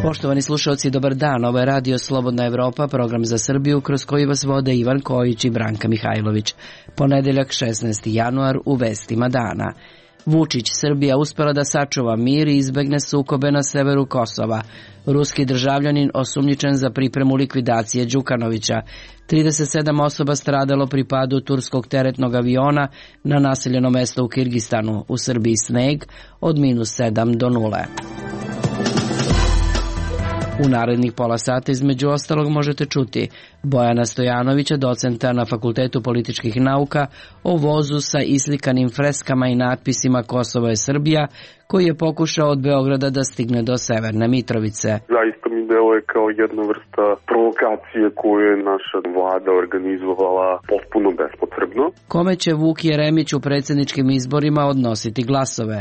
Poštovani slušalci, dobar dan. Ovo je Radio Slobodna Evropa, program za Srbiju kroz koji vas vode Ivan Kojić i Branka Mihajlović. Ponedeljak 16. januar u vestima dana. Vučić, Srbija uspela da sačuva mir i izbegne sukobe na severu Kosova. Ruski državljanin osumnjičen za pripremu likvidacije Đukanovića. 37 osoba stradalo pri padu turskog teretnog aviona na naseljeno mesto u Kirgistanu. U Srbiji sneg od -7 do 0. U narednih pola sata između ostalog možete čuti Bojana Stojanovića, docenta na Fakultetu političkih nauka, o vozu sa islikanim freskama i natpisima Kosovo je Srbija, koji je pokušao od Beograda da stigne do Severne Mitrovice. Zaista mi deluje kao jedna vrsta provokacije koju je naša vlada organizovala potpuno bespotrebno. Kome će Vuk Jeremić u predsjedničkim izborima odnositi glasove?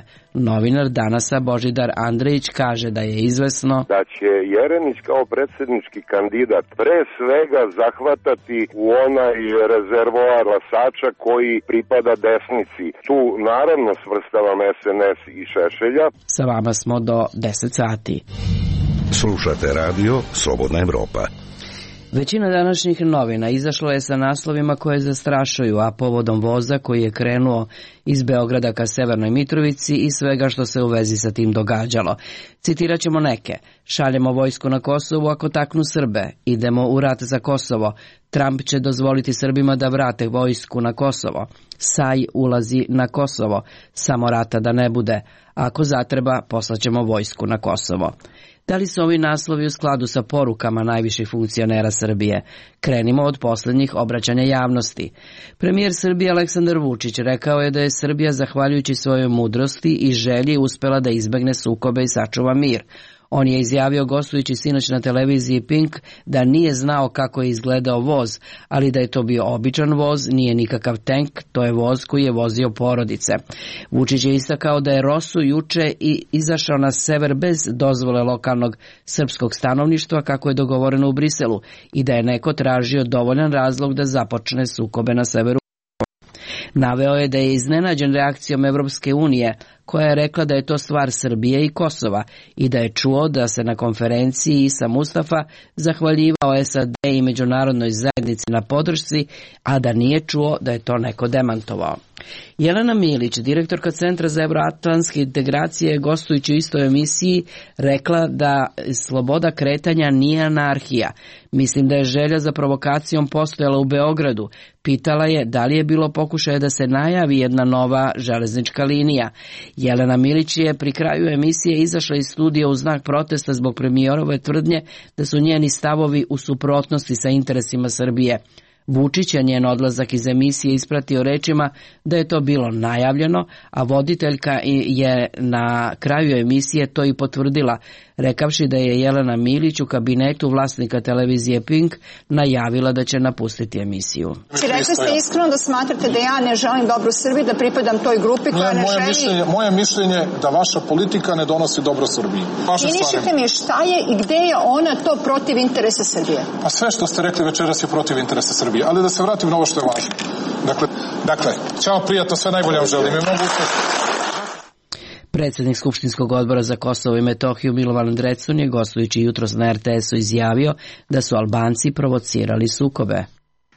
Novinar Danasa Božidar Andrejić kaže da je izvesno da će Jeremić kao predsjednički kandidat pre svega zahvatati u onaj rezervoar glasača koji pripada desnici. Tu naravno svrstavam SNS i Šešelja. Sa vama smo do 10 sati. Slušate radio Slobodna Evropa. Većina današnjih novina izašlo je sa naslovima koje zastrašuju, a povodom voza koji je krenuo iz Beograda ka Severnoj Mitrovici i svega što se u vezi sa tim događalo. Citirat ćemo neke. Šaljemo vojsku na Kosovu ako taknu Srbe. Idemo u rat za Kosovo. Trump će dozvoliti Srbima da vrate vojsku na Kosovo. Saj ulazi na Kosovo. Samo rata da ne bude. Ako zatreba, poslaćemo vojsku na Kosovo. Da li su ovi naslovi u skladu sa porukama najviših funkcionera Srbije? Krenimo od posljednjih obraćanja javnosti. Premijer Srbije Aleksandar Vučić rekao je da je Srbija zahvaljujući svojoj mudrosti i želji uspela da izbegne sukobe i sačuva mir. On je izjavio gostujući sinoć na televiziji Pink da nije znao kako je izgledao voz, ali da je to bio običan voz, nije nikakav tank, to je voz koji je vozio porodice. Vučić je istakao da je Rosu juče i izašao na sever bez dozvole lokalnog srpskog stanovništva kako je dogovoreno u Briselu i da je neko tražio dovoljan razlog da započne sukobe na severu. Naveo je da je iznenađen reakcijom Evropske unije, koja je rekla da je to stvar Srbije i Kosova i da je čuo da se na konferenciji Isa Mustafa zahvaljivao SAD i međunarodnoj zajednici na podršci, a da nije čuo da je to neko demantovao. Jelena Milić, direktorka Centra za evroatlantske integracije, gostujući u istoj emisiji, rekla da sloboda kretanja nije anarhija. Mislim da je želja za provokacijom postojala u Beogradu. Pitala je da li je bilo pokušaja da se najavi jedna nova železnička linija. Jelena Milić je pri kraju emisije izašla iz studija u znak protesta zbog premijerove tvrdnje da su njeni stavovi u suprotnosti sa interesima Srbije. Vučić je njen odlazak iz emisije ispratio rečima da je to bilo najavljeno, a voditeljka je na kraju emisije to i potvrdila, rekavši da je Jelena Milić u kabinetu vlasnika televizije Pink najavila da će napustiti emisiju. Rekli ste iskreno da smatrate da ja ne želim dobro Srbiji, da pripadam toj grupi koja ne želi... Moje mišljenje da vaša politika ne donosi dobro Srbiji. Inišite mi šta je i gde je ona to protiv interesa Srbije? Pa sve što ste rekli večeras je protiv interesa Srbije, ali da se vratim na ovo što je važno. Dakle, ćao prijatno, sve najbolje vam želim. Predsjednik Skupštinskog odbora za Kosovo i Metohiju Milovan Drecun je gostujući jutros na RTS-u izjavio da su Albanci provocirali sukobe.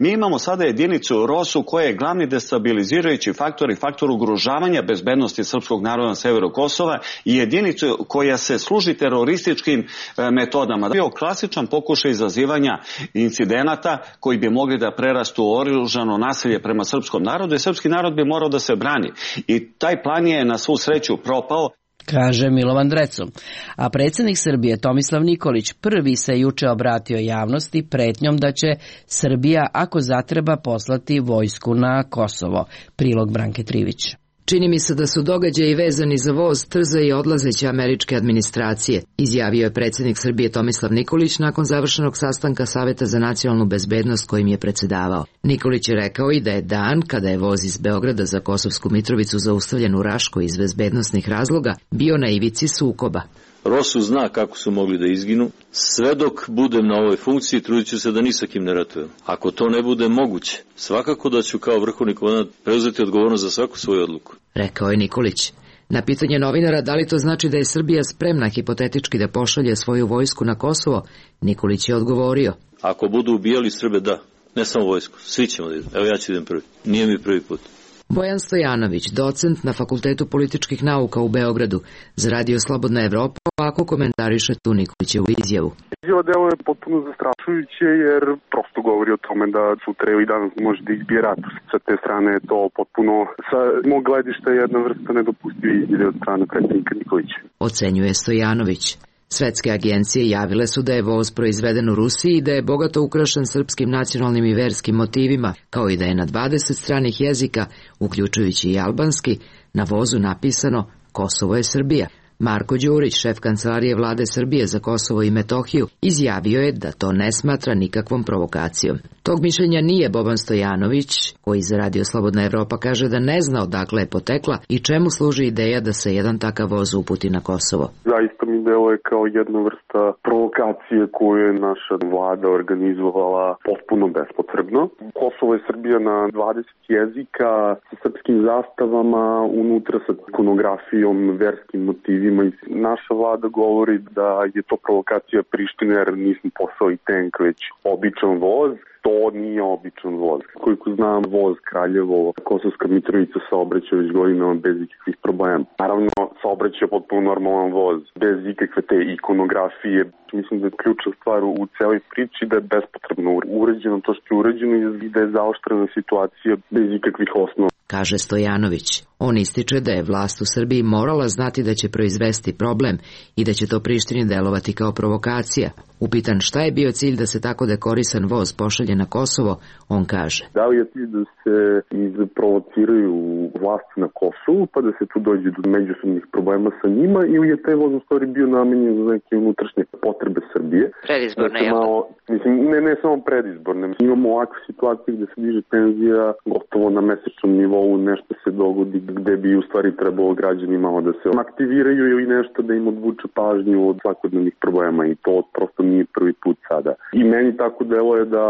Mi imamo sada jedinicu Rosu koja je glavni destabilizirajući faktor i faktor ugrožavanja bezbednosti srpskog naroda na severu Kosova i jedinicu koja se služi terorističkim metodama. Bio klasičan pokušaj izazivanja incidenata koji bi mogli da prerastu u oružano nasilje prema srpskom narodu i srpski narod bi morao da se brani. I taj plan je na svu sreću propao, kaže Milovan Drecun. A predsjednik Srbije Tomislav Nikolić prvi se juče obratio javnosti pretnjom da će Srbija ako zatreba poslati vojsku na Kosovo. Prilog Branke Trivić. Čini mi se da su događaji vezani za voz trza i odlazeće američke administracije, izjavio je predsjednik Srbije Tomislav Nikolić nakon završenog sastanka Saveta za nacionalnu bezbednost kojim je predsjedavao. Nikolić je rekao i da je dan kada je voz iz Beograda za Kosovsku Mitrovicu zaustavljen u Raškoj iz bezbednosnih razloga bio na ivici sukoba. Rosu zna kako su mogli da izginu. Sve dok budem na ovoj funkciji, trudit ću se da ni sa kim ne ratujem. Ako to ne bude moguće, svakako da ću kao vrhovni komandant preuzeti odgovornost za svaku svoju odluku. Rekao je Nikolić. Na pitanje novinara da li to znači da je Srbija spremna hipotetički da pošalje svoju vojsku na Kosovo, Nikolić je odgovorio. Ako budu ubijali Srbe, da. Ne samo vojsku, svi ćemo da idem. Evo ja ću idem prvi. Nije mi prvi put. Bojan Stojanović, docent na Fakultetu političkih nauka u Beogradu, za Radio Slobodna Evropa, ovako komentariše tu Nikolićevu izjavu. Izjava delo je potpuno zastrašujuće jer prosto govori o tome da sutra i danas može da izbije rat. Sa te strane je to potpuno, sa mog gledišta, jedna vrsta nedopustive izjave od strane predsjednika Nikolića. Ocenjuje Stojanović. Svetske agencije javile su da je voz proizveden u Rusiji i da je bogato ukrašen srpskim nacionalnim i verskim motivima, kao i da je na 20 stranih jezika, uključujući i albanski, na vozu napisano Kosovo je Srbija. Marko Đurić, šef kancelarije vlade Srbije za Kosovo i Metohiju, izjavio je da to ne smatra nikakvom provokacijom. Tog mišljenja nije Boban Stojanović, koji za Radio Slobodna Evropa kaže da ne zna odakle je potekla i čemu služi ideja da se jedan takav voz uputi na Kosovo. Zaista mi deluje kao jedna vrsta provokacije koju je naša vlada organizovala potpuno bespotrebno. Kosovo je Srbija na 20 jezika sa srpskim zastavama, unutra sa ikonografijom, verskim motivima. I naša vlada govori da je to provokacija Prištine jer nismo poslali tank, već običan voz. To nije običan voz. Koliko znam, voz Kraljevo, Kosovska Mitrovica saobraća već godinama bez ikakvih problema. Naravno, saobraća potpuno normalan voz, bez ikakve te ikonografije. Mislim da je ključna stvar u celoj priči da je bespotrebno uređeno to što je uređeno i da je zaoštrena situacija bez ikakvih osnova. Kaže Stojanović. On ističe da je vlast u Srbiji morala znati da će proizvesti problem i da će to Prištini delovati kao provokacija. Upitan šta je bio cilj da se tako dekorisan voz pošalje na Kosovo, on kaže. Da li je cilj da se izprovociraju vlasti na Kosovu pa da se tu dođe do međusobnih problema sa njima ili je taj voz u stvari bio namenjen za neke unutrašnje potrebe Srbije? Predizborne, jel? Mislim, ne samo predizborne. Imamo ovakve situacije gde se diže penzija gotovo na mesečnom nivou, nešto se dogodi gde bi u stvari trebalo građanima da se aktiviraju ili nešto da im odvuče pažnju od svakodnevnih problema i to prosto nije prvi put sada. I meni tako delo je da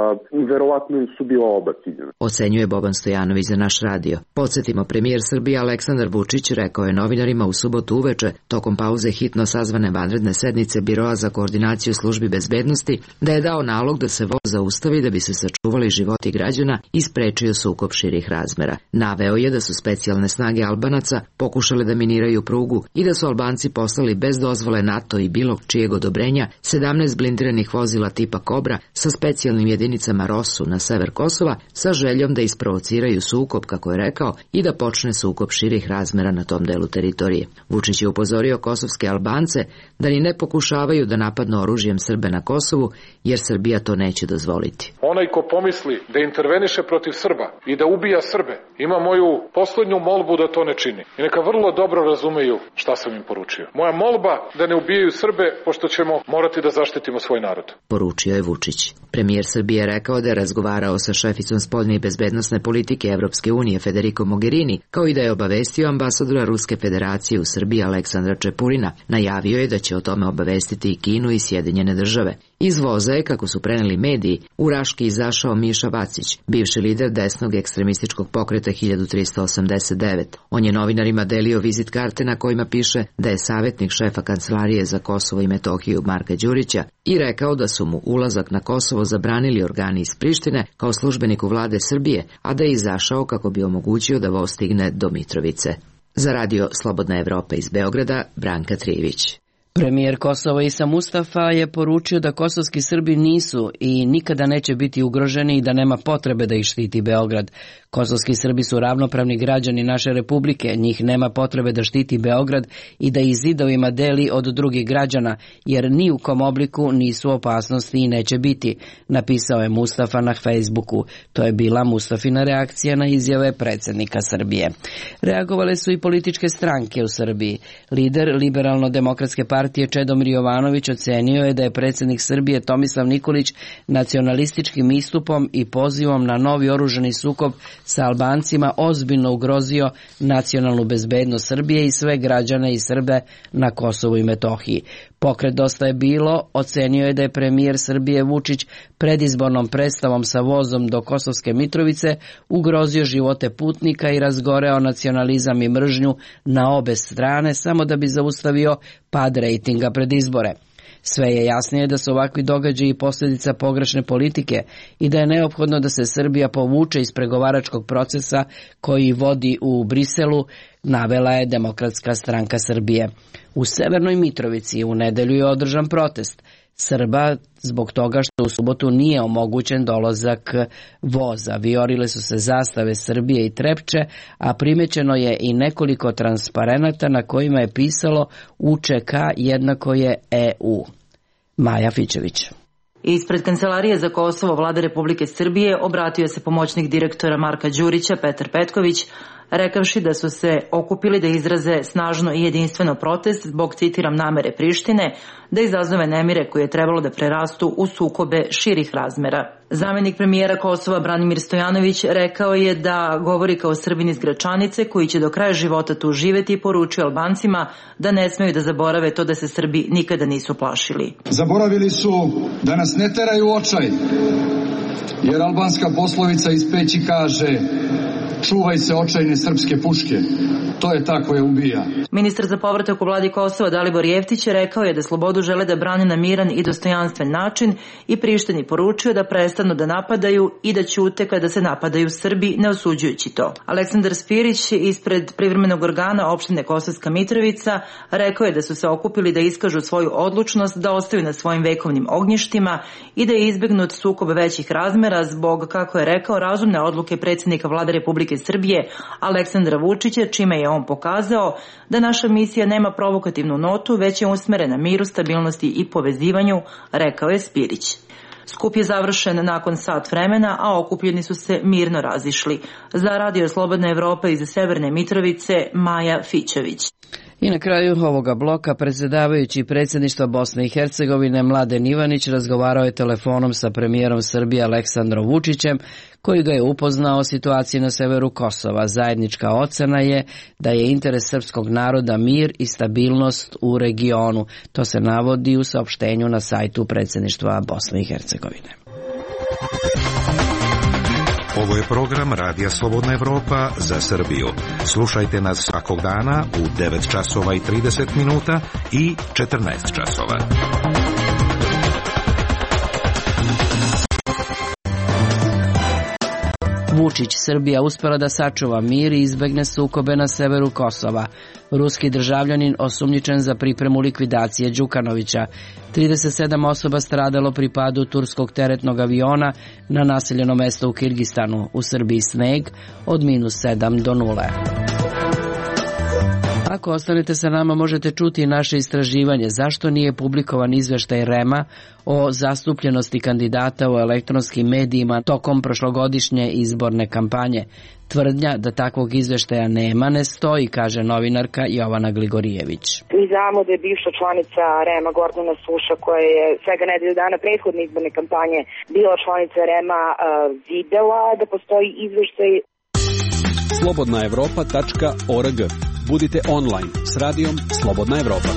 verovatno su bila oba ciljena. Ocenjuje Boban Stojanović za naš radio. Podsjetimo, premijer Srbije Aleksandar Vučić rekao je novinarima u subotu uveče, tokom pauze hitno sazvane vanredne sednice Biroa za koordinaciju službi bezbednosti, da je dao nalog da se voz zaustavi da bi se sačuvali životi građana i sprečio sukob širih razmera. Naveo je da su specijalne snage Albanaca pokušale da miniraju prugu i da su Albanci poslali bez dozvole NATO i bilo čijeg odobrenja 17 blindiranih vozila tipa Kobra sa specijalnim jedinicama Rosu na sever Kosova sa željom da isprovociraju sukob, kako je rekao, i da počne sukob širih razmera na tom delu teritorije. Vučić je upozorio kosovske Albance da ni ne pokušavaju da napadnu oružjem Srbe na Kosovu, jer Srbija to neće dozvoliti. Onaj ko pomisli da interveniše protiv Srba i da ubija Srbe, ima moju poslednju molbu da to ne čini. I neka vrlo dobro razumeju šta sam im poručio. Moja molba da ne ubijaju Srbe, pošto ćemo morati da zaštitimo svoj narod. Poručio je Vučić. Premijer Srbije rekao da je razgovarao sa šeficom spoljne i bezbednosne politike Evropske unije Federico Mogherini, kao i da je obavestio ambasadora Ruske federacije u Srbiji Aleksandra Čepurina. Najavio je da će o tome obavestiti i Kinu i Sjedinjene države. Iz voza je, kako su preneli mediji, u Raški izašao Miša Vacić, bivši lider desnog ekstremističkog pokreta 1389. On je novinarima delio vizit karte na kojima piše da je savjetnik šefa kancelarije za Kosovo i Metohiju Marka Đurića i rekao da su mu ulazak na Kosovo zabranili organi iz Prištine kao službeniku vlade Srbije, a da je izašao kako bi omogućio da voz stigne do Mitrovice. Za Radio Slobodna Evropa iz Beograda, Branka Trijević. Premijer Kosova Isa Mustafa je poručio da kosovski Srbi nisu i nikada neće biti ugroženi i da nema potrebe da ih štiti Beograd. Kosovski Srbi su ravnopravni građani naše republike, njih nema potrebe da štiti Beograd i da ih zidovima deli od drugih građana, jer ni u kom obliku nisu opasnosti i neće biti, napisao je Mustafa na Facebooku. To je bila Mustafina reakcija na izjave predsjednika Srbije. Reagovale su i političke stranke u Srbiji. Lider Liberalno-demokratske partije Čedomir Jovanović ocenio je da je predsjednik Srbije Tomislav Nikolić nacionalističkim istupom i pozivom na novi oružani sukob sa Albancima ozbiljno ugrozio nacionalnu bezbednost Srbije i sve građane i Srbe na Kosovu i Metohiji. Pokret Dosta je bilo ocenio je da je premijer Srbije Vučić predizbornom predstavom sa vozom do Kosovske Mitrovice ugrozio živote putnika i razgoreo nacionalizam i mržnju na obe strane samo da bi zaustavio pad rejtinga pred izbore. Sve je jasnije da su ovakvi događaji posljedica pogrešne politike i da je neophodno da se Srbija povuče iz pregovaračkog procesa koji vodi u Briselu, navela je Demokratska stranka Srbije. U Severnoj Mitrovici u nedelju je održan protest Srba zbog toga što u subotu nije omogućen dolazak voza. Vijorile su se zastave Srbije i Trepče, a primećeno je i nekoliko transparenata na kojima je pisalo UČK jednako je EU. Maja Fičević. Ispred Kancelarije za Kosovo Vlade Republike Srbije obratio se pomoćnik direktora Marka Đurića Petar Petković, rekavši da su se okupili da izraze snažno i jedinstveno protest zbog, citiram, namere Prištine da izazove nemire koje je trebalo da prerastu u sukobe širih razmera. Zamenik premijera Kosova Branimir Stojanović rekao je da govori kao Srbin iz Gračanice koji će do kraja života tu živeti i poručio Albancima da ne smeju da zaborave to da se Srbi nikada nisu plašili. Zaboravili su da nas ne teraju u očaj, jer albanska poslovica iz Peći kaže: čuvaj se očajne srpske puške. To je ta koja ubija. Ministar za povratak u vladi Kosova Dalibor Jeftić rekao je da slobodu žele da brane na miran i dostojanstven način i Prištini poručio da prestanu da napadaju i da ćute kada se napadaju Srbi, ne osuđujući to. Aleksandar Spirić ispred privremenog organa opštine Kosovska Mitrovica rekao je da su se okupili da iskažu svoju odlučnost da ostaju na svojim vekovnim ognjištima i da je izbegnut sukob većih razmera zbog, kako je rekao, razumne odluke predsjednika vlade Republike Srbije Aleksandra Vučića, čime je on pokazao da naša misija nema provokativnu notu, već je usmerena miru, stabilnosti i povezivanju, rekao je Spirić. Skup je završen nakon sat vremena, a okupljeni su se mirno razišli. Za Radio Slobodna Evropa iz Severne Mitrovice, Maja Fičević. I na kraju ovoga bloka predsjedavajući predsjedništva Bosne i Hercegovine Mladen Ivanić razgovarao je telefonom sa premijerom Srbije Aleksandrom Vučićem, koji ga je upoznao o situaciji na severu Kosova. Zajednička ocena je da je interes srpskog naroda mir i stabilnost u regionu. To se navodi u saopštenju na sajtu predsjedništva Bosne i Hercegovine. Ovo je program Radija Slobodna Evropa za Srbiju. Slušajte nas svakog dana u 9 časova i 30 minuta i 14 časova. Vučić, Srbija uspela da sačuva mir i izbegne sukobe na severu Kosova. Ruski državljanin osumnjičen za pripremu likvidacije Đukanovića. 37 osoba stradalo pri padu turskog teretnog aviona na naseljeno mesto u Kirgistanu. U Srbiji sneg od -7 do 0. Ako ostanete sa nama, možete čuti naše istraživanje zašto nije publikovan izveštaj REM-a o zastupljenosti kandidata u elektronskim medijima tokom prošlogodišnje izborne kampanje. Tvrdnja da takvog izveštaja nema ne stoji, kaže novinarka Jovana Gligorijević. Mi znamo da je bivša članica REM-a Gordana Suša, koja je svega nedelju dana prethodne izborne kampanje bila članica REM-a, videla da postoji izveštaj. slobodnaevropa.org. Budite online s radijom Slobodna Evropa.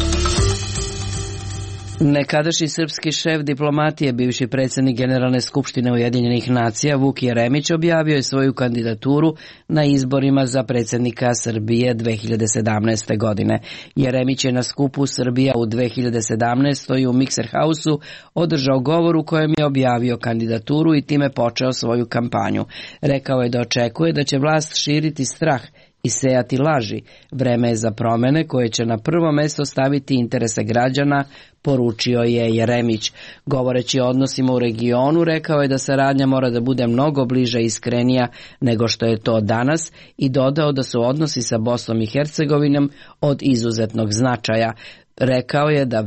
Nekadašnji srpski šef diplomatije, bivši predsjednik Generalne skupštine Ujedinjenih nacija Vuk Jeremić objavio je svoju kandidaturu na izborima za predsjednika Srbije 2017. godine. Jeremić je na skupu Srbija u 2017. u Mikser Hausu održao govor u kojem je objavio kandidaturu i time počeo svoju kampanju. Rekao je da očekuje da će vlast širiti strah i sejati laži. Vreme je za promjene koje će na prvo mjesto staviti interese građana, poručio je Jeremić. Govoreći o odnosima u regionu, rekao je da saradnja mora da bude mnogo bliža i iskrenija nego što je to danas i dodao da su odnosi sa Bosnom i Hercegovinom od izuzetnog značaja. Rekao je da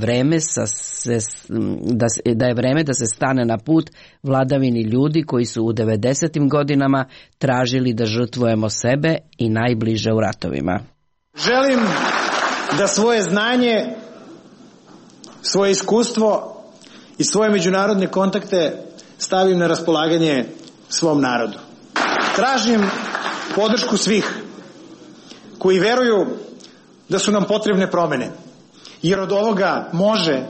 je vreme da se stane na put vladavini ljudi koji su u 90. godinama tražili da žrtvujemo sebe i najbliže u ratovima. Želim da svoje znanje, svoje iskustvo i svoje međunarodne kontakte stavim na raspolaganje svom narodu. Tražim podršku svih koji veruju da su nam potrebne promjene Jer od ovoga može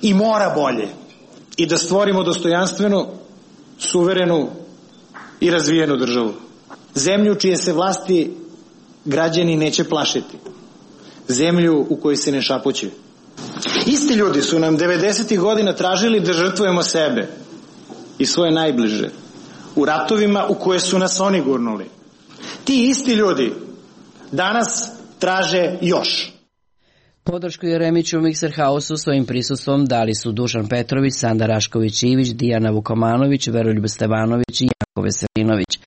i mora bolje. I da stvorimo dostojanstvenu, suverenu i razvijenu državu. Zemlju čije se vlasti građani neće plašiti. Zemlju u kojoj se ne šapuće. Isti ljudi su nam 90. godina tražili da žrtvujemo sebe i svoje najbliže u ratovima u koje su nas oni gurnuli. Ti isti ljudi danas traže još. Podršku Jeremiću u Mikserhausu svojim prisustvom dali su Dušan Petrović, Sanda Rašković-Ivić, Dijana Vukomanović, Veroljub Stevanović i Janko Veselinović.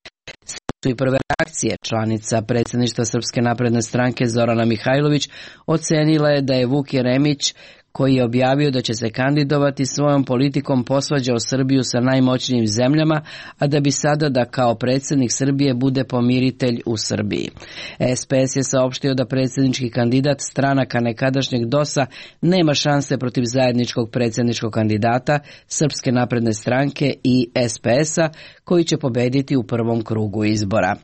Su i prve reakcije. Članica predsjedništva Srpske napredne stranke Zorana Mihajlović ocenila je da je Vuk Jeremić, koji je objavio da će se kandidovati, svojom politikom posvađao Srbiju sa najmoćnijim zemljama, a da bi sada da kao predsjednik Srbije bude pomiritelj u Srbiji. SPS je saopštio da predsjednički kandidat stranaka nekadašnjeg DOS-a nema šanse protiv zajedničkog predsjedničkog kandidata Srpske napredne stranke i SPS-a, koji će pobediti u prvom krugu izbora.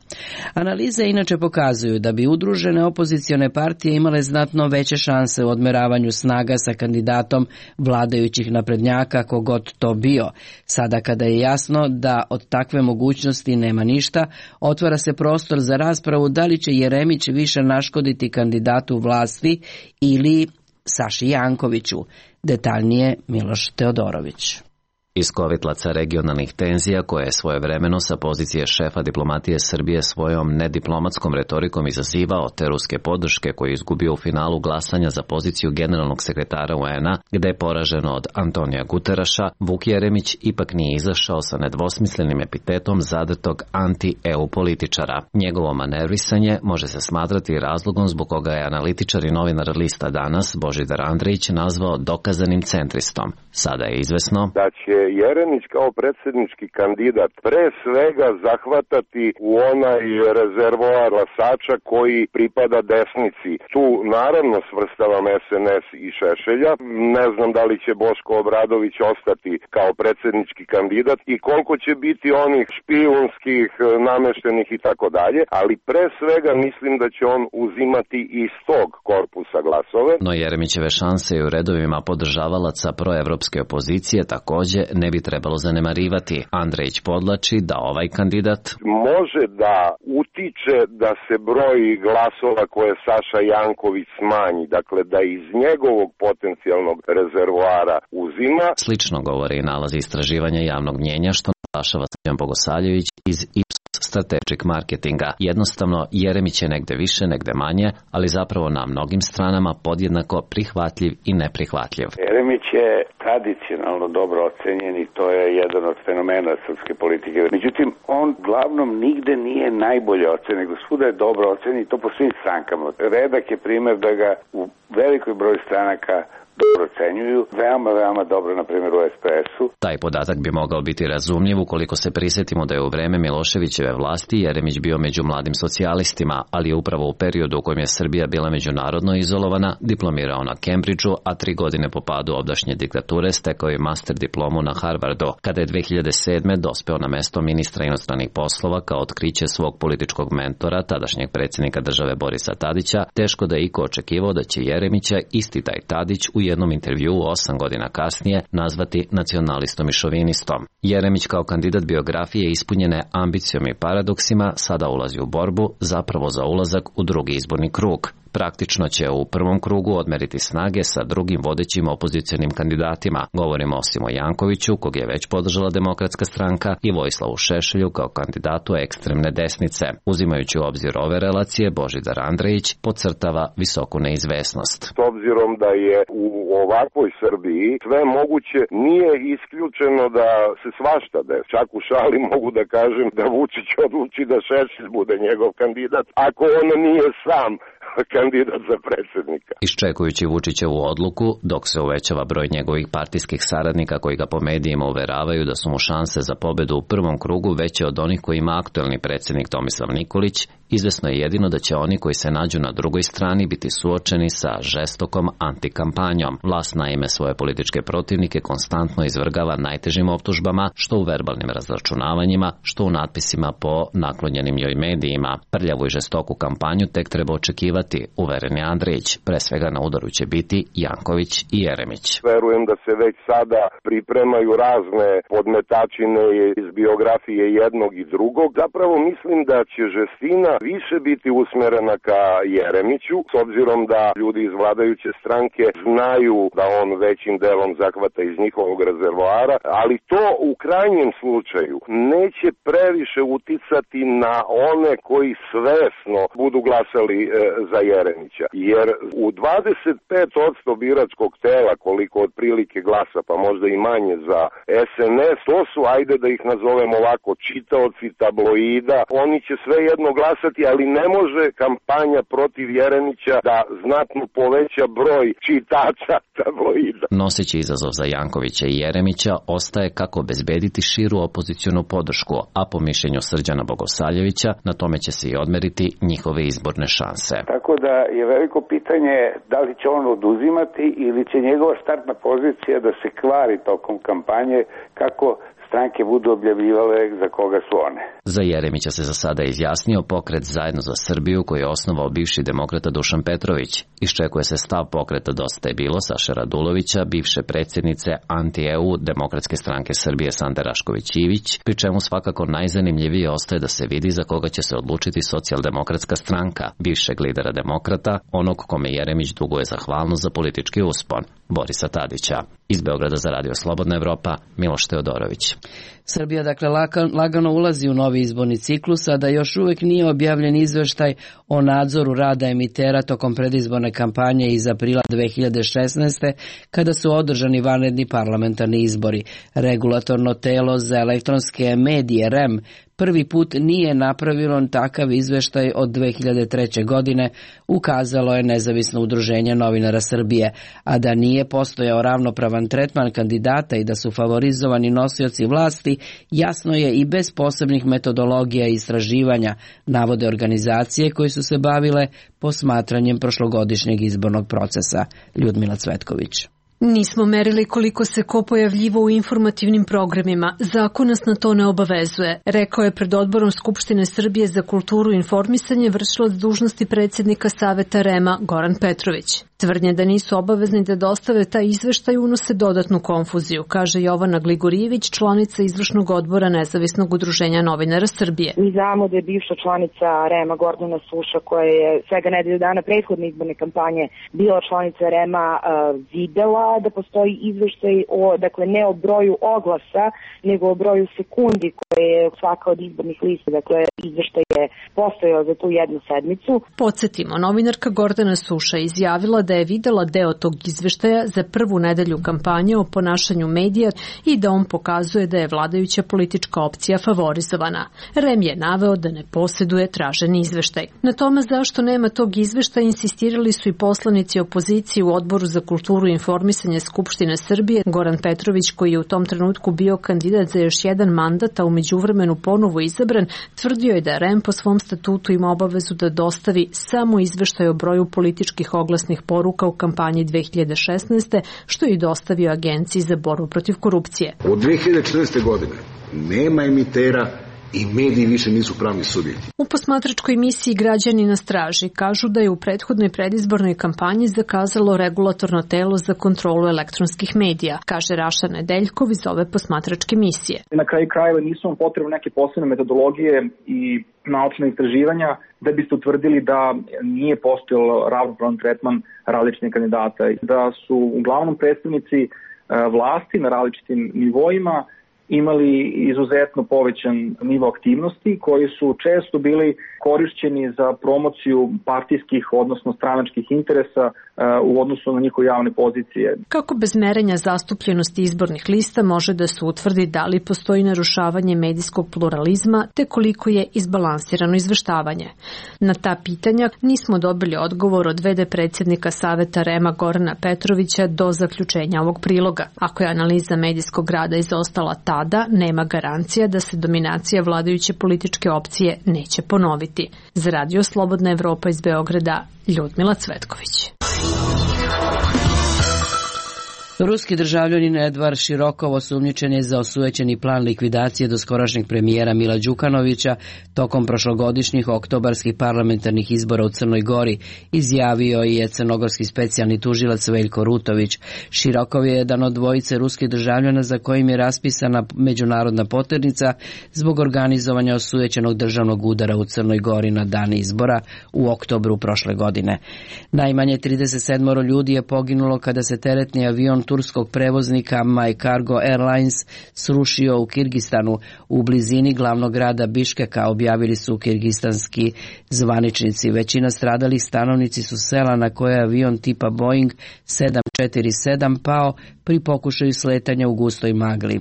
Analize inače pokazuju da bi udružene opozicione partije imale znatno veće šanse u odmeravanju snaga sa kandidatom vladajućih naprednjaka, kogod to bio. Sada kada je jasno da od takve mogućnosti nema ništa, otvara se prostor za raspravu da li će Jeremić više naškoditi kandidatu vlasti ili Saši Jankoviću. Detaljnije Miloš Teodorović. Iz kovitlaca regionalnih tenzija koje je svojevremeno sa pozicije šefa diplomatije Srbije svojom nediplomatskom retorikom izazivao te ruske podrške koje je izgubio u finalu glasanja za poziciju generalnog sekretara UN-a, gde je poraženo od Antonija Guteraša, Vuk Jeremić ipak nije izašao sa nedvosmislenim epitetom zadrtog anti-EU političara. Njegovo manervisanje može se smatrati razlogom zbog koga je analitičar i novinar lista Danas Božidar Andrejić nazvao dokazanim centristom. Sada je izvesno da će Jeremić kao predsjednički kandidat pre svega zahvatati u onaj rezervoar glasača koji pripada desnici. Tu naravno svrstavam SNS i Šešelja. Ne znam da li će Boško Obradović ostati kao predsjednički kandidat i koliko će biti onih špijunskih, nameštenih i tako dalje, ali pre svega mislim da će on uzimati iz tog korpusa glasove. No Jeremićeve šanse i u redovima podržavalaca proevropske opozicije takođe ne bi trebalo zanemarivati. Andrejić podlači da ovaj kandidat može da utiče da se broj glasova koje Saša Janković smanji, dakle da iz njegovog potencijalnog rezervoara uzima. Slično govori i nalazi istraživanja javnog mnjenja što naglašava Srđan Bogosavljević iz Ipsos Strategic Marketinga. Jednostavno, Jeremić je negde više, negde manje, ali zapravo na mnogim stranama podjednako prihvatljiv i neprihvatljiv. Jeremić je tradicionalno dobro ocenjen i to je jedan od fenomena srpske politike. Međutim, on glavnom nigde nije najbolje ocenjen, nego svuda je dobro ocenjen i to po svim strankama. Redak je primjer da ga u velikoj broju stranaka dobro ocenjuju, veoma dobro, na primjer u SPS-u. Taj podatak bi mogao biti razumljiv ukoliko se prisjetimo da je u vreme Miloševićeve vlasti Jeremić bio među mladim socijalistima, ali je upravo u periodu u kojem je Srbija bila međunarodno izolovana, diplomirao na Cambridgeu, a 3 godine po padu ovdašnje diktature stekao je master diplomu na Harvardu. Kada je 2007. dospeo na mesto ministra inostranih poslova kao otkriće svog političkog mentora, tadašnjeg predsjednika države Borisa Tadića, teško da je iko očekivao da će Jeremića isti taj Tadić u jednom intervjuu 8 godina kasnije nazvati nacionalistom i šovinistom. Jeremić kao kandidat biografije ispunjene ambicijom i paradoksima sada ulazi u borbu zapravo za ulazak u drugi izborni krug. Praktično će u prvom krugu odmeriti snage sa drugim vodećim opozicionim kandidatima. Govorimo o Simo Jankoviću, kog je već podržala Demokratska stranka, i Vojislavu Šešelju kao kandidatu ekstremne desnice. Uzimajući u obzir ove relacije, Božidar Andrejić podcrtava visoku neizvesnost. S obzirom da je u ovakvoj Srbiji sve moguće, nije isključeno da se svašta desi. Čak u šali mogu da kažem da Vučić odluči da Šešelj bude njegov kandidat, ako on nije sam kandidat za predsjednika. Iščekujući Vučićevu odluku, dok se uvećava broj njegovih partijskih saradnika koji ga po medijima uveravaju da su mu šanse za pobedu u prvom krugu veće od onih koji ima aktuelni predsjednik Tomislav Nikolić, izvesno je jedino da će oni koji se nađu na drugoj strani biti suočeni sa žestokom antikampanjom. Vlast naime svoje političke protivnike konstantno izvrgava najtežim optužbama, što u verbalnim razračunavanjima, što u natpisima po naklonjenim joj medijima. Prljavu i žestoku kampanju tek treba očekivati padati, uveren je Andrić. Pre svega na udaru će biti Janković i Jeremić. Verujem da se već sada pripremaju razne podmetačine iz biografije jednog i drugog. Zapravo mislim da će žestina više biti usmerena ka Jeremiću, s obzirom da ljudi iz vladajuće stranke znaju da on većim delom zahvata iz njihovog rezervoara, ali to u krajnjem slučaju neće previše uticati na one koji svesno budu glasali za Jeremića. Jer u 25% biračkog tela, koliko otprilike glasa, pa možda i manje za SNS, to su, ajde da ih nazovemo ovako, čitaoci tabloida. Oni će svejedno glasati, ali ne može kampanja protiv Jeremića da znatno poveća broj čitača tabloida. Noseći izazov za Jankovića i Jeremića ostaje kako obezbediti širu opozicionu podršku, a po mišljenju Srđana Bogosavljevića na tome će se i odmeriti njihove izborne šanse. Tako da je veliko pitanje da li će on oduzimati ili će njegova startna pozicija da se kvari tokom kampanje kako stranke budu objavljivale za koga su one. Za Jeremića se za sada izjasnio pokret Zajedno za Srbiju koji je osnovao bivši demokrata Dušan Petrović. Iščekuje se stav pokreta Dosta je bilo Saše Radulovića, bivše predsjednice anti-EU Demokratske stranke Srbije Sande Rašković-Ivić, pri čemu svakako najzanimljivije ostaje da se vidi za koga će se odlučiti Socijaldemokratska stranka, bivšeg lidera demokrata, onog kome Jeremić duguje zahvalnost za politički uspon, Borisa Tadića. Iz Beograda za Radio Slobodna Evropa, Miloš Teodorović. Srbija dakle lagano ulazi u novi izborni ciklus, a da još uvek nije objavljen izveštaj o nadzoru rada emitera tokom predizborne kampanje iz aprila 2016. kada su održani vanredni parlamentarni izbori. Regulatorno telo za elektronske medije REM prvi put nije napravilo takav izveštaj od 2003. godine, ukazalo je nezavisno udruženje novinara Srbije, a da nije postojao ravnopravan tretman kandidata i da su favorizovani nosioci vlasti, jasno je i bez posebnih metodologija i istraživanja, navode organizacije koje su se bavile posmatranjem prošlogodišnjeg izbornog procesa. Ljudmila Cvetković. Nismo merili koliko se ko pojavljivo u informativnim programima. Zakon nas na to ne obavezuje, rekao je pred odborom Skupštine Srbije za kulturu i informisanje vršilac dužnosti predsjednika Saveta REM-a Goran Petrović. Tvrdnje da nisu obavezni da dostave taj izveštaj unose dodatnu konfuziju, kaže Jovana Gligorijević, članica izvršnog odbora Nezavisnog udruženja novinara Srbije. Mi znamo da je bivša članica REM-a Gordana Suša, koja je svega nedelju dana prethodne izborne kampanje bila članica REM-a, videla da postoji izveštaj dakle ne o broju oglasa, nego o broju sekundi koje je svaka od izbornih lista, dakle izveštaj je postojao za tu jednu sedmicu. Podsjetimo, novinarka Gordana Suša izjavila da je videla deo tog izveštaja za prvu nedelju kampanje o ponašanju medija i da on pokazuje da je vladajuća politička opcija favorizovana. REM je naveo da ne posjeduje traženi izveštaj. Na tome zašto nema tog izveštaja insistirali su i poslanici opozicije u Odboru za kulturu i informisanje Skupštine Srbije. Goran Petrović, koji je u tom trenutku bio kandidat za još jedan mandat, a u međuvremenu ponovo izabran, tvrdio je da REM po svom statutu ima obavezu da dostavi samo izveštaj o broju političkih oglasnih poruka u kampanji 2016. što je i dostavio Agenciji za borbu protiv korupcije. Od 2014. godine nema emitera i mediji više nisu pravni subjekti. U posmatračkoj misiji Građani na straži kažu da je u prethodnoj predizbornoj kampanji zakazalo regulatorno telo za kontrolu elektronskih medija, kaže Raša Nedeljkov iz ove posmatračke misije. Na kraju krajeva nisu vam potrebne neke posebne metodologije i naučne istraživanja da biste utvrdili da nije postojalo ravnopravan tretman različitih kandidata, da su uglavnom predstavnici vlasti na različitim nivoima imali izuzetno povećan nivo aktivnosti koji su često bili korišćeni za promociju partijskih, odnosno stranačkih interesa u odnosu na njihove javne pozicije. Kako bez merenja zastupljenosti izbornih lista može da se utvrdi da li postoji narušavanje medijskog pluralizma te koliko je izbalansirano izveštavanje? Na ta pitanja nismo dobili odgovor od v.d. predsjednika Saveta REM-a Gorana Petrovića do zaključenja ovog priloga. Ako je analiza medijskog rada izostala tada, nema garancija da se dominacija vladajuće političke opcije neće ponoviti. Za Radio Slobodna Evropa iz Beograda, Ljudmila Cvetković. Ruski državljanin Edvard Širokov osumnjičen je za osujećeni plan likvidacije doskorašnjeg premijera Mila Đukanovića tokom prošlogodišnjih oktobarskih parlamentarnih izbora u Crnoj Gori, izjavio je crnogorski specijalni tužilac Veljko Rutović. Širokov je jedan od dvojice ruskih državljana za kojim je raspisana međunarodna poternica zbog organizovanja osujećenog državnog udara u Crnoj Gori na dan izbora u oktobru prošle godine. Najmanje 37 ljudi je poginulo kada se teretni avion turskog prevoznika My Cargo Airlines srušio u Kirgistanu u blizini glavnog grada Biškeka, objavili su kirgistanski zvaničnici. Većina stradalih stanovnici su sela na koje je avion tipa Boeing 747 pao pri pokušaju sletanja u gustoj magli.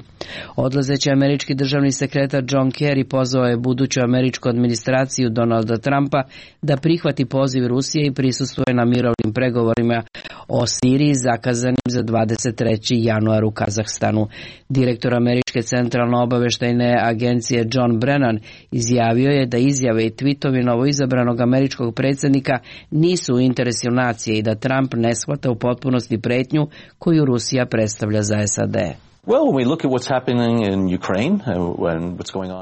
Odlazeći američki državni sekretar John Kerry pozvao je buduću američku administraciju Donalda Trumpa da prihvati poziv Rusije i prisustvuje na mirovnim pregovorima o Siriji zakazanim za 23. januar u Kazahstanu. Direktor američke centralno obaveštajne agencije John Brennan izjavio je da izjave i tvitovi novoizabranog američkog predsjednika nisu u interesu nacije i da Trump ne shvata u potpunosti pretnju koju Rusija predstavlja za SAD.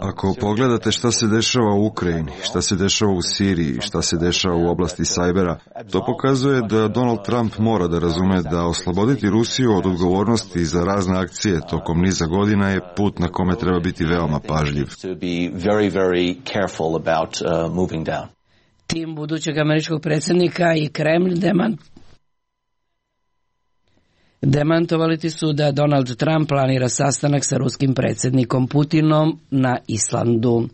Ako pogledate šta se dešava u Ukrajini, šta se dešava u Siriji, šta se dešava u oblasti sajbera, to pokazuje da Donald Trump mora da razume da osloboditi Rusiju od odgovornosti za razne akcije tokom niza godina je put na kome treba biti veoma pažljiv. Tim budućeg američkog predsjednika i Kremlj demantovali su da Donald Trump planira sastanak sa ruskim predsjednikom Putinom na Islandu.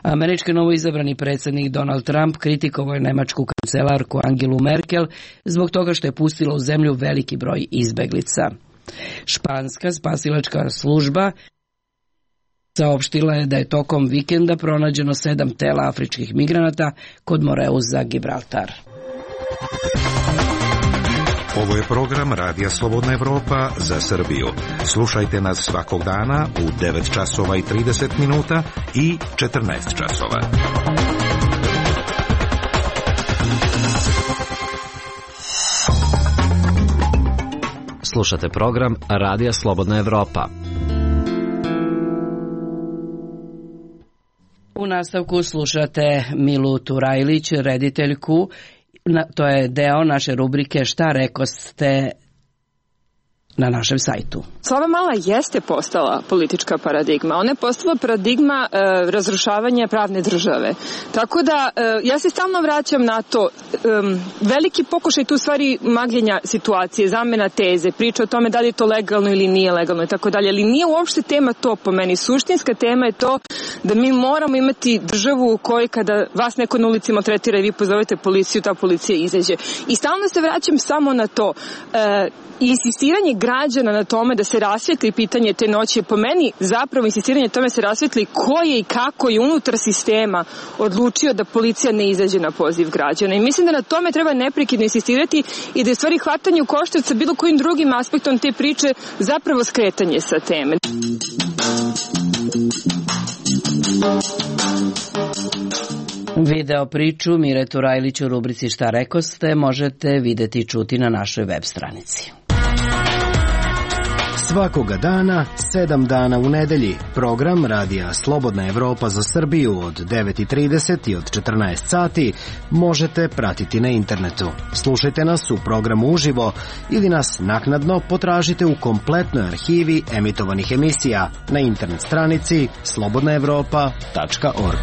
Američki novoizabrani predsjednik Donald Trump kritikovao je nemačku kancelarku Angelu Merkel zbog toga što je pustila u zemlju veliki broj izbeglica. Španska spasilačka služba saopštila je da je tokom vikenda pronađeno 7 tela afričkih migranata kod Moreuza, Gibraltar. Ovo je program Radija Slobodna Evropa za Srbiju. Slušajte nas svakog dana u 9 časova i 30 minuta i 14 časova. Slušate program Radija Slobodna Evropa. U nastavku slušate Milu Turajlić, rediteljku. To je deo naše rubrike Šta rekoste na našem sajtu. Slava Mala jeste postala politička paradigma. Ona je postala paradigma razrušavanja pravne države. Tako da ja se stalno vraćam na to. Veliki pokušaj tu stvari magljenja situacije, zamena teze, priča o tome da li je to legalno ili nije legalno i tako dalje. Ali nije uopšte tema to po meni. Suštinska tema je to da mi moramo imati državu u kojoj kada vas neko na ulici maltretira i vi pozovete policiju, ta policija izađe. I stalno se vraćam samo na to. Insistiranje građana na tome da se rasvetli pitanje te noći je po meni zapravo insistiranje na tome se rasvetli ko je i kako je unutar sistema odlučio da policija ne izađe na poziv građana. I mislim da na tome treba neprekidno insistirati i da je stvari hvatanje u koštac sa bilo kojim drugim aspektom te priče zapravo skretanje sa teme. Video priču Mire Turajlić u rubrici Šta rekoste možete videti i čuti na našoj web stranici. Svakoga dana, 7 dana u nedelji, program Radija Slobodna Evropa za Srbiju od 9:30 i od 14 sati možete pratiti na internetu. Slušajte nas u programu uživo ili nas naknadno potražite u kompletnoj arhivi emitovanih emisija na internet stranici slobodnaevropa.org.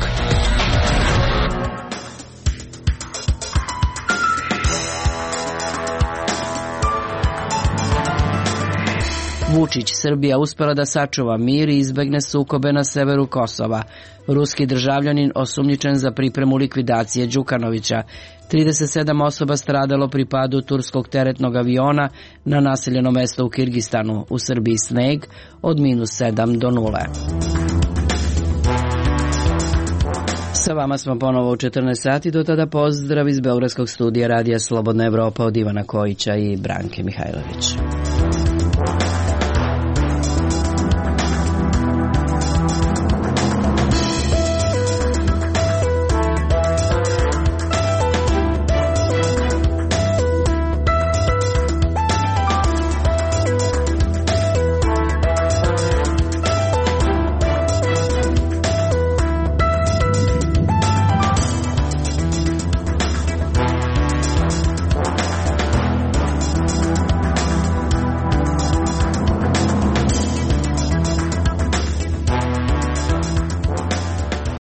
Vučić, Srbija uspela da sačuva mir i izbegne sukobe na severu Kosova. Ruski državljanin osumnjičen za pripremu likvidacije Đukanovića. 37 osoba stradalo pri padu turskog teretnog aviona na naseljeno mesto u Kirgistanu. U Srbiji sneg od -7 do 0. Sa vama smo ponovo u 14 sati, do tada pozdrav iz Beogradskog studija Radija Slobodna Evropa od Ivana Kojića i Branke Mihajlović.